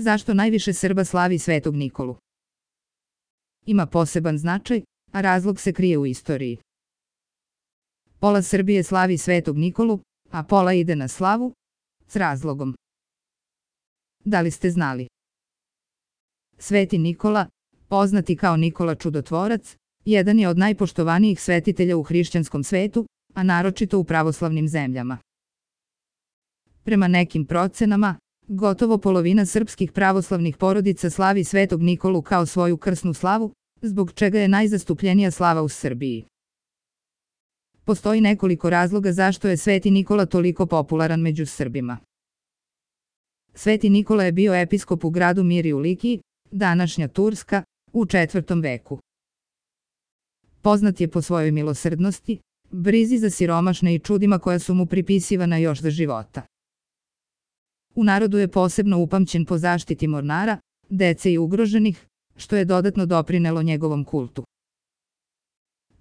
Zašto najviše Srba slavi Svetog Nikolu? Ima poseban značaj, a razlog se krije u istoriji. Pola Srbije slavi Svetog Nikolu, a pola ide na slavu, s razlogom. Da li ste znali? Sveti Nikola, poznati kao Nikola Čudotvorac, jedan je od najpoštovanijih svetitelja u hrišćanskom svetu, a naročito u pravoslavnim zemljama. Prema nekim procenama, gotovo polovina srpskih pravoslavnih porodica slavi Svetog Nikolu kao svoju krsnu slavu, zbog čega je najzastupljenija slava u Srbiji. Postoji nekoliko razloga zašto je Sveti Nikola toliko popularan među Srbima. Sveti Nikola je bio episkop u gradu Miri u Likiji, današnja Turska, u 4. veku. Poznat je po svojoj milosrdnosti, brizi za siromašne i čudima koja su mu pripisivana još za života. U narodu je posebno upamćen po zaštiti mornara, dece i ugroženih, što je dodatno doprinelo njegovom kultu.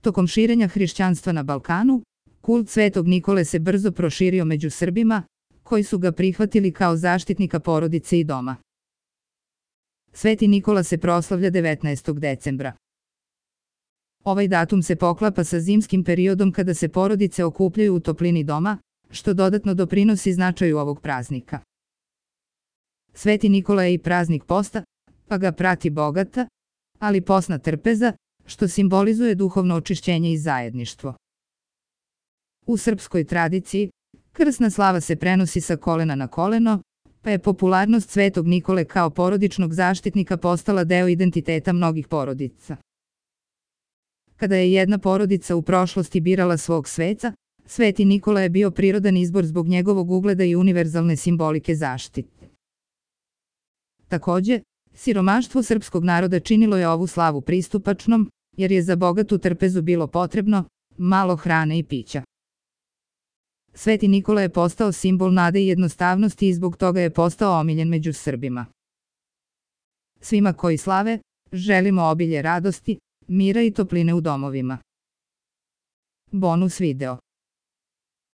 Tokom širenja hrišćanstva na Balkanu, kult Svetog Nikole se brzo proširio među Srbima, koji su ga prihvatili kao zaštitnika porodice i doma. Sveti Nikola se proslavlja 19. decembra. Ovaj datum se poklapa sa zimskim periodom kada se porodice okupljaju u toplini doma, što dodatno doprinosi značaju ovog praznika. Sveti Nikola je i praznik posta, pa ga prati bogata, ali posna trpeza, što simbolizuje duhovno očišćenje i zajedništvo. U srpskoj tradiciji, krsna slava se prenosi sa kolena na koleno, pa je popularnost Svetog Nikole kao porodičnog zaštitnika postala deo identiteta mnogih porodica. Kada je jedna porodica u prošlosti birala svog sveca, Sveti Nikola je bio prirodan izbor zbog njegovog ugleda i univerzalne simbolike zaštite. Takođe, siromaštvo srpskog naroda činilo je ovu slavu pristupačnom, jer je za bogatu trpezu bilo potrebno malo hrane i pića. Sveti Nikola je postao simbol nade i jednostavnosti i zbog toga je postao omiljen među Srbima. Svima koji slave, želimo obilje radosti, mira i topline u domovima. Bonus video.